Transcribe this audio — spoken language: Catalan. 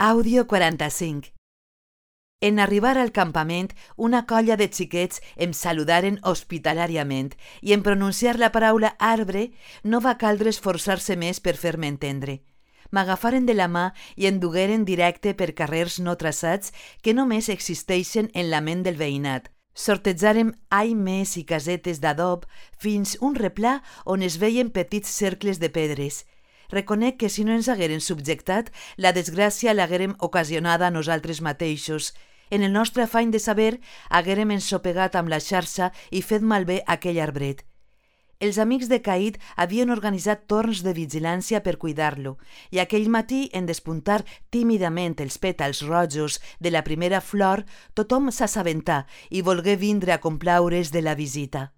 Àudio 45. En arribar al campament, una colla de xiquets em saludaren hospitalàriament i en pronunciar la paraula arbre no va caldre esforçar-se més per fer-me entendre. M'agafaren de la mà i em dugueren directe per carrers no traçats que només existeixen en la ment del veïnat. Sortejàrem aimes i casetes d'adob fins un replà on es veien petits cercles de pedres. Reconec que si no ens hagueren subjectat, la desgràcia l'haguérem ocasionada a nosaltres mateixos. En el nostre afany de saber, haguérem ensopegat amb la xarxa i fet malbé aquell arbret. Els amics de Caïd havien organitzat torns de vigilància per cuidar-lo, i aquell matí, en despuntar tímidament els pètals rojos de la primera flor, tothom s'assabentà i volgué vindre a complaure's de la visita.